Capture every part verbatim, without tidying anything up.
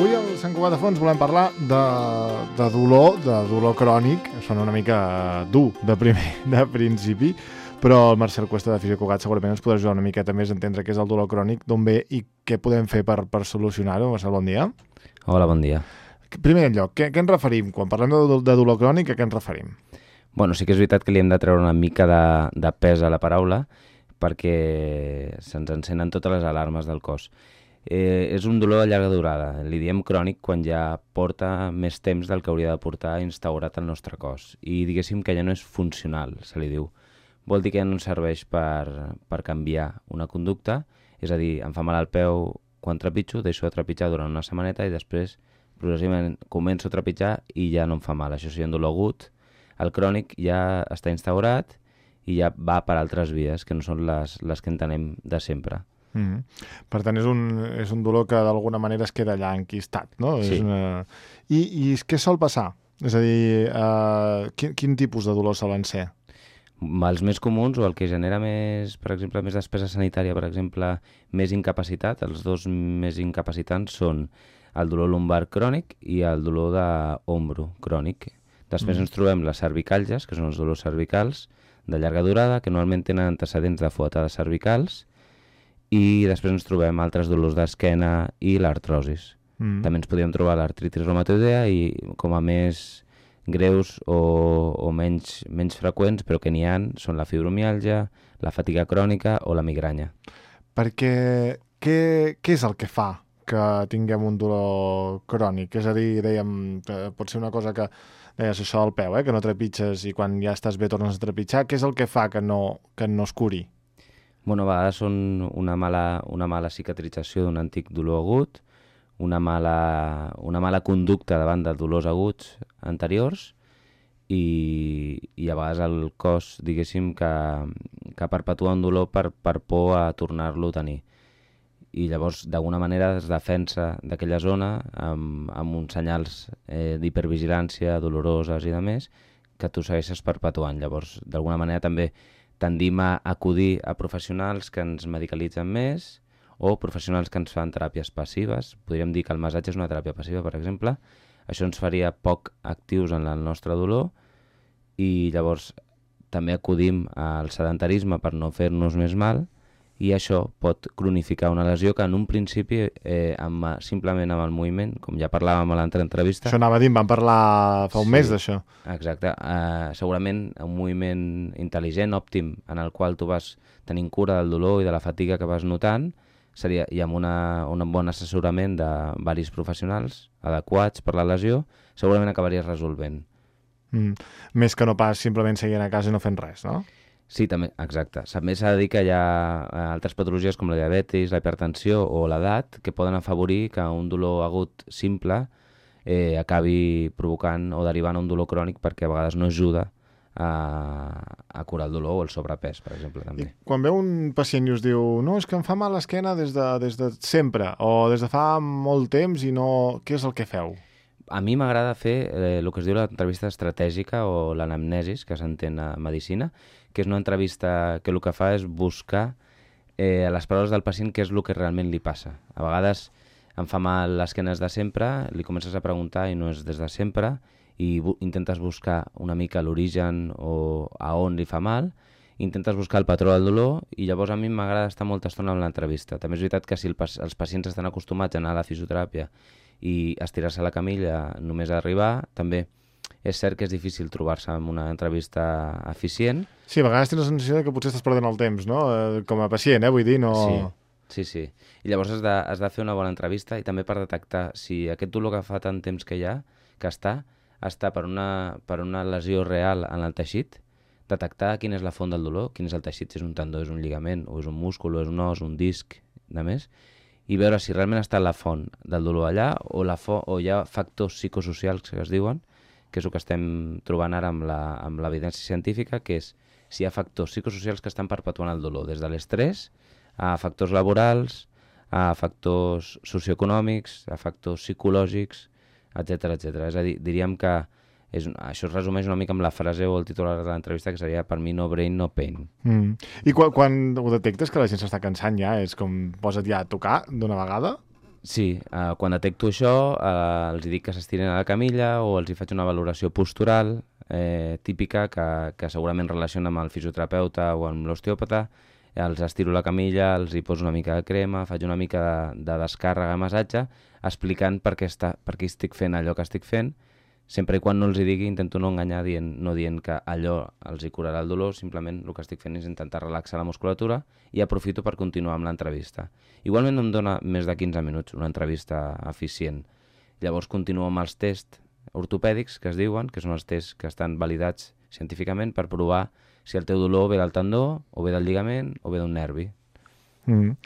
Avui al Sant Cugat de Fons volem parlar de, de dolor, de dolor crònic. Sona una mica dur de, primer, de principi, però el Marcel Cuesta de Fisio Cugat segurament ens podrà ajudar una miqueta més a entendre què és el dolor crònic, d'on ve i què podem fer per, per solucionar-ho. Marcel, bon dia. Hola, bon dia. Primer lloc, què, què ens referim? Quan parlem de, de dolor crònic, a què ens referim? Bueno, sí que és veritat que li hem de treure una mica de, de pes a la paraula perquè se'ns encenen totes les alarmes del cos. Eh, és un dolor de llarga durada. Li diem crònic quan ja porta més temps del que hauria de portar instaurat al nostre cos. I diguéssim que ja no és funcional, se li diu. Vol dir que ja no ens serveix per, per canviar una conducta, és a dir, em fa mal al peu quan trepitjo, deixo de trepitjar durant una setmaneta i després progressivament començo a trepitjar i ja no em fa mal. Això seria un dolor agut. El crònic ja està instaurat i ja va per altres vies, que no són les, les que entenem de sempre. Mm-hmm. Per tant, és un, és un dolor que d'alguna manera es queda allà enquistat, no? Sí. És una... I, I què sol passar? És a dir, uh, quin, quin tipus de dolor solen ser? Els més comuns, o el que genera més, per exemple, més despesa sanitària, per exemple, més incapacitat, els dos més incapacitants són el dolor lumbar crònic i el dolor d'ombro crònic. Després mm. ens trobem les cervicalges, que són els dolors cervicals de llarga durada, que normalment tenen antecedents de fuetades cervicals, i després ens trobem altres dolors d'esquena i l'artrosis. Mm. També ens podríem trobar l'artritis reumatoidea i com a més greus o, o menys, menys freqüents, però que n'hi ha, són la fibromiàlgia, la fatiga crònica o la migranya. Perquè què, què és el que fa que tinguem un dolor crònic? És a dir, dèiem, pot ser una cosa que deies això del peu, eh? Que no trepitges i quan ja estàs bé tornes a trepitjar. Què és el que fa que no, que no es curi? Bueno, a vegades són una mala, una mala cicatrització d'un antic dolor agut, una mala, una mala conducta davant de dolors aguts anteriors i, i a vegades el cos, diguéssim, que, que perpetua un dolor per, per por a tornar-lo a tenir. I llavors, d'alguna manera, es defensa d'aquella zona amb, amb uns senyals eh, d'hipervigilància doloroses i de més que tu segueixes perpetuant. Llavors, d'alguna manera, també tendim a acudir a professionals que ens medicalitzen més o professionals que ens fan teràpies passives. Podríem dir que el massatge és una teràpia passiva, per exemple. Això ens faria poc actius en el nostre dolor i llavors també acudim al sedentarisme per no fer-nos més mal i això pot cronificar una lesió que en un principi, eh, amb, simplement amb el moviment, com ja parlàvem a l'altra entrevista... Això anava a dir, vam parlar fa un sí, mes d'això. Exacte. Uh, segurament un moviment intel·ligent, òptim, en el qual tu vas tenint cura del dolor i de la fatiga que vas notant, seria, i amb una, un bon assessorament de varis professionals adequats per la lesió, segurament acabaries resolvent. Mm. Més que no pas simplement seguint a casa i no fent res, no? Sí, també, exacte. També s'ha de dir que hi ha altres patologies com la diabetis, la hipertensió o l'edat que poden afavorir que un dolor agut simple eh, acabi provocant o derivant un dolor crònic perquè a vegades no ajuda a, a curar el dolor o el sobrepès, per exemple. També. I quan ve un pacient i us diu no, és que em fa mal l'esquena des de, des de sempre o des de fa molt temps i no... Què és el que feu? A mi m'agrada fer eh, el que es diu l'entrevista estratègica o l'anamnesis, que s'entén a medicina, que és una entrevista que el que fa és buscar eh, a les paraules del pacient què és el que realment li passa. A vegades em fa mal l'esquena des de sempre, li comences a preguntar i no és des de sempre, i bu- intentes buscar una mica l'origen o a on li fa mal, intentes buscar el patró del dolor i llavors a mi m'agrada estar molta estona amb l'entrevista. També és veritat que si el, els pacients estan acostumats a anar a la fisioteràpia i estirar-se a la camilla només a arribar, també és cert que és difícil trobar-se amb una entrevista eficient. Sí, a vegades tens la sensació que potser estàs perdent el temps, no? Eh, com a pacient, eh? Vull dir, no... Sí, sí, sí. I llavors has de, has de fer una bona entrevista i també per detectar si aquest dolor que fa tant temps que hi ha, que està, està per una, per una lesió real en el teixit, detectar quina és la font del dolor, quin és el teixit, si és un tendó, és un lligament, o és un múscul, o és un os, un disc, de més, i veure si realment està la font del dolor allà o, la fo o hi ha factors psicosocials que es diuen, que és el que estem trobant ara amb la, amb l'evidència científica, que és si hi ha factors psicosocials que estan perpetuant el dolor, des de l'estrès a factors laborals, a factors socioeconòmics, a factors psicològics, etcètera, etcètera. És a dir, diríem que és, això es resumeix una mica amb la frase o el titular de l'entrevista que seria per mi no brain, no pain. Mm. I quan, quan ho detectes que la gent s'està cansant ja, és com posa't ja a tocar d'una vegada? Sí, uh, quan detecto això, uh, els dic que s'estiren a la camilla o els hi faig una valoració postural eh, típica que, que segurament relaciona amb el fisioterapeuta o amb l'osteòpata. Els estiro a la camilla, els hi poso una mica de crema, faig una mica de, de descàrrega, massatge, explicant per què, està, per què estic fent allò que estic fent. Sempre i quan no els hi digui, intento no enganyar dient, no dient que allò els hi curarà el dolor, simplement el que estic fent és intentar relaxar la musculatura i aprofito per continuar amb l'entrevista. Igualment no em dona més de quinze minuts una entrevista eficient. Llavors continuo amb els tests ortopèdics que es diuen, que són els tests que estan validats científicament per provar si el teu dolor ve del tendó, o ve del lligament, o ve d'un nervi. Mm.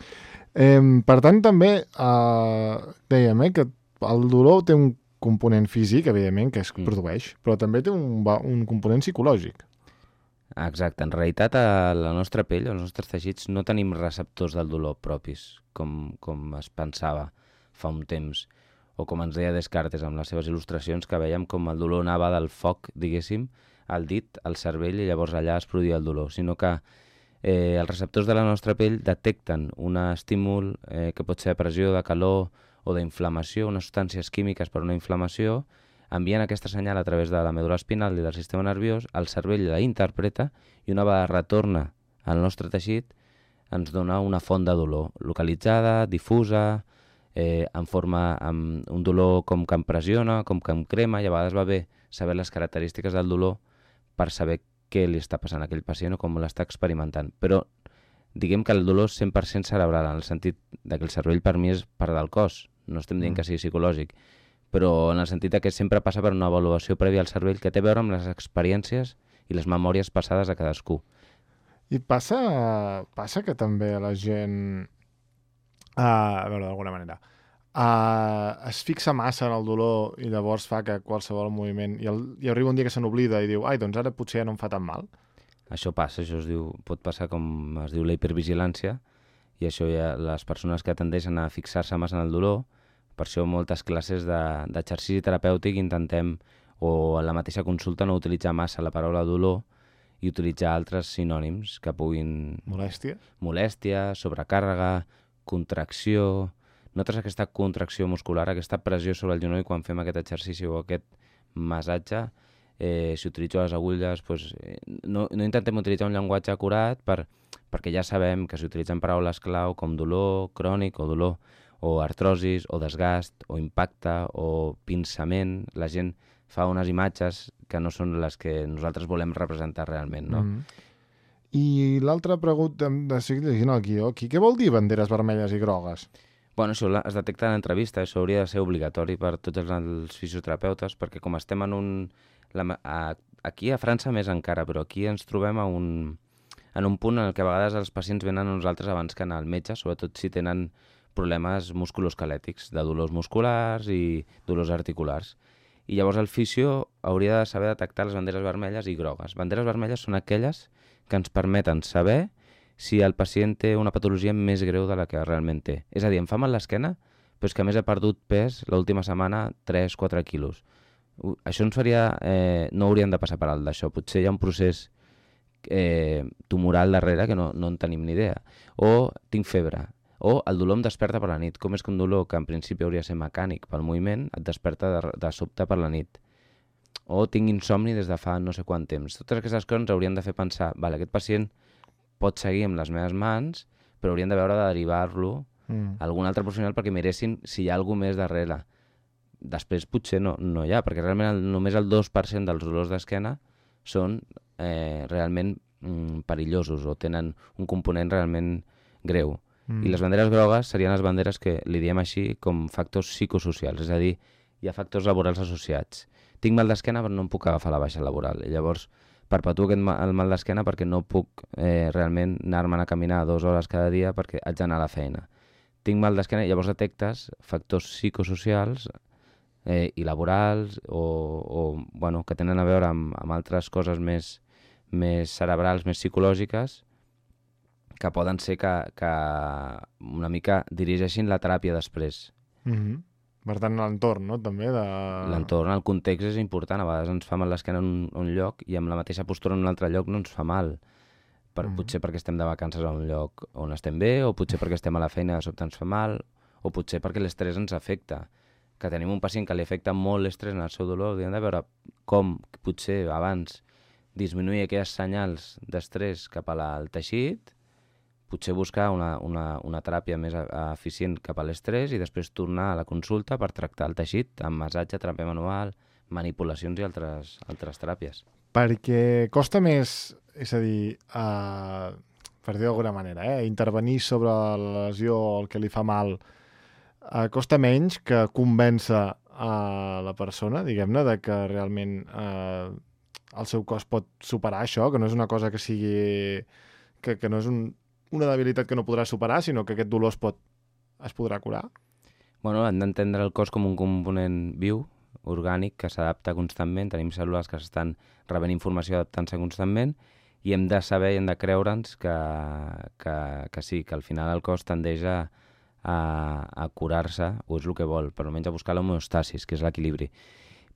Eh, per tant, també eh, dèiem eh, que el dolor té un component físic, evidentment, que es mm. produeix, però també té un, un component psicològic. Exacte. En realitat, a la nostra pell, als nostres teixits, no tenim receptors del dolor propis, com, com es pensava fa un temps, o com ens deia Descartes amb les seves il·lustracions, que veiem com el dolor anava del foc, diguéssim, al dit, al cervell, i llavors allà es produïa el dolor, sinó que eh, els receptors de la nostra pell detecten un estímul eh, que pot ser de pressió, de calor o d'inflamació, unes substàncies químiques per una inflamació, envien aquesta senyal a través de la medul·la espinal i del sistema nerviós, el cervell la interpreta i una vegada retorna al nostre teixit ens dona una font de dolor localitzada, difusa, eh, en forma amb un dolor com que em pressiona, com que em crema, i a vegades va bé saber les característiques del dolor per saber què li està passant a aquell pacient o com l'està experimentant. Però diguem que el dolor és cent per cent cerebral, en el sentit que el cervell per mi és part del cos, no estem dient mm. que sigui psicològic, però en el sentit que sempre passa per una avaluació prèvia al cervell que té a veure amb les experiències i les memòries passades a cadascú. I passa, passa que també la gent, uh, a veure, d'alguna manera, uh, es fixa massa en el dolor i llavors fa que qualsevol moviment, i, el, i arriba un dia que se n'oblida i diu, ai, doncs ara potser ja no em fa tan mal. Això passa, això es diu, pot passar com es diu la hipervigilància, i això ja les persones que tendeixen a fixar-se massa en el dolor, per això moltes classes d'exercici de, terapèutic intentem, o en la mateixa consulta, no utilitzar massa la paraula dolor i utilitzar altres sinònims que puguin... Molèstia? Molèstia, sobrecàrrega, contracció... Notes aquesta contracció muscular, aquesta pressió sobre el genoll quan fem aquest exercici o aquest massatge. Eh, si utilitzo les agulles, doncs, eh, no, no intentem utilitzar un llenguatge acurat per, perquè ja sabem que si utilitzem paraules clau com dolor crònic o dolor o artrosis, o desgast, o impacte, o pinçament, la gent fa unes imatges que no són les que nosaltres volem representar realment, no? Mm. I l'altra pregunta, de seguir llegint el guió aquí, què vol dir banderes vermelles i grogues? Bueno, això es detecta en l'entrevista, això hauria de ser obligatori per tots els, els fisioterapeutes, perquè com estem en un... La, a, aquí a França més encara, però aquí ens trobem a un, en un punt en què a vegades els pacients venen a nosaltres abans que anar al metge, sobretot si tenen problemes musculoesquelètics, de dolors musculars i dolors articulars. I llavors el fisio hauria de saber detectar les banderes vermelles i grogues. Banderes vermelles són aquelles que ens permeten saber si el pacient té una patologia més greu de la que realment té. És a dir, em fa mal l'esquena, però és que a més he perdut pes l'última setmana tres quatre quilos. Això ens faria... Eh, no hauríem de passar per alt d'això. Potser hi ha un procés eh, tumoral darrere que no, no en tenim ni idea. O tinc febre. O el dolor em desperta per la nit. Com és que un dolor que en principi hauria de ser mecànic pel moviment et desperta de, de sobte per la nit? O tinc insomni des de fa no sé quant temps. Totes aquestes coses ens haurien de fer pensar, vale, aquest pacient pot seguir amb les meves mans, però haurien de veure de derivar-lo mm. a algun altre professional perquè miressin si hi ha alguna més darrere. Després potser no, no hi ha, perquè realment el, només el dos per cent dels dolors d'esquena són eh, realment mm, perillosos o tenen un component realment greu. Mm. I les banderes grogues serien les banderes que li diem així com factors psicosocials, és a dir, hi ha factors laborals associats. Tinc mal d'esquena però no em puc agafar la baixa laboral, i llavors perpetuo aquest mal, el mal d'esquena perquè no puc eh, realment anar-me'n a caminar dues hores cada dia perquè haig d'anar a la feina. Tinc mal d'esquena i llavors detectes factors psicosocials eh, i laborals o, o bueno, que tenen a veure amb, amb altres coses més, més cerebrals, més psicològiques, que poden ser que, que una mica dirigeixin la teràpia després. Mm-hmm. Per tant, l'entorn, no?, també de... L'entorn, el context és important. A vegades ens fa mal l'esquena en un, un lloc i amb la mateixa postura en un altre lloc no ens fa mal. Per, mm-hmm. Potser perquè estem de vacances a un lloc on estem bé, o potser perquè estem a la feina i de sobte ens fa mal, o potser perquè l'estrès ens afecta, que tenim un pacient que li afecta molt l'estrès en el seu dolor, hauríem de veure com potser abans disminuir aquells senyals d'estrès cap al teixit, potser buscar una, una, una teràpia més eficient cap a l'estrès i després tornar a la consulta per tractar el teixit amb massatge, teràpia manual, manipulacions i altres, altres teràpies. Perquè costa més, és a dir, uh, per dir d'alguna manera, eh, intervenir sobre la lesió o el que li fa mal, uh, costa menys que convèncer a la persona, diguem-ne, de que realment uh, el seu cos pot superar això, que no és una cosa que sigui... que, que no és un, una debilitat que no podrà superar, sinó que aquest dolor es, pot, es podrà curar? Bueno, hem d'entendre el cos com un component viu, orgànic, que s'adapta constantment, tenim cèl·lules que s'estan rebent informació adaptant-se constantment i hem de saber i hem de creure'ns que, que, que sí, que al final el cos tendeix a, a, a curar-se, o és el que vol, per almenys a buscar l'homeostasis, que és l'equilibri.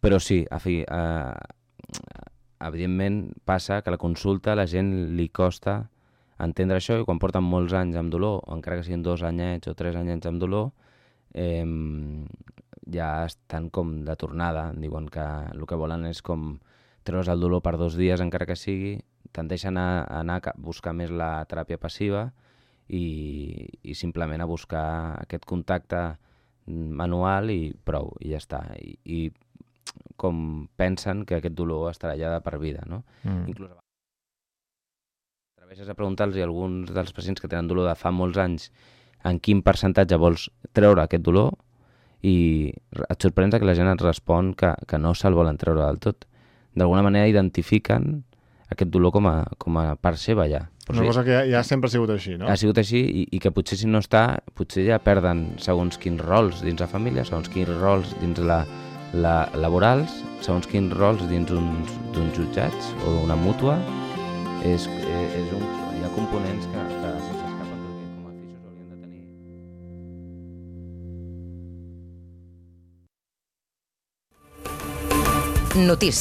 Però sí, a fi, eh, evidentment passa que a la consulta a la gent li costa entendre això i quan porten molts anys amb dolor, o encara que siguin dos anyets o tres anyets amb dolor, eh, ja estan com de tornada, diuen que el que volen és com treure's el dolor per dos dies encara que sigui, tendeixen a anar a buscar més la teràpia passiva i, i simplement a buscar aquest contacte manual i prou, i ja està. I, i com pensen que aquest dolor estarà allà de per vida, no? Mm. Inclús atreveixes a preguntar-los a alguns dels pacients que tenen dolor de fa molts anys en quin percentatge vols treure aquest dolor i et sorprens que la gent et respon que, que no se'l volen treure del tot. D'alguna manera identifiquen aquest dolor com a, com a part seva ja. Però una sí, cosa que ja, ja sempre ha sigut així, no? Ha sigut així i, i que potser si no està, potser ja perden segons quins rols dins la família, segons quins rols dins la, la laborals, segons quins rols dins uns, d'uns jutjats o d'una mútua. És, és un, hi ha components que, que se'ns escapen perquè com a fisios haurien de tenir. Notícies.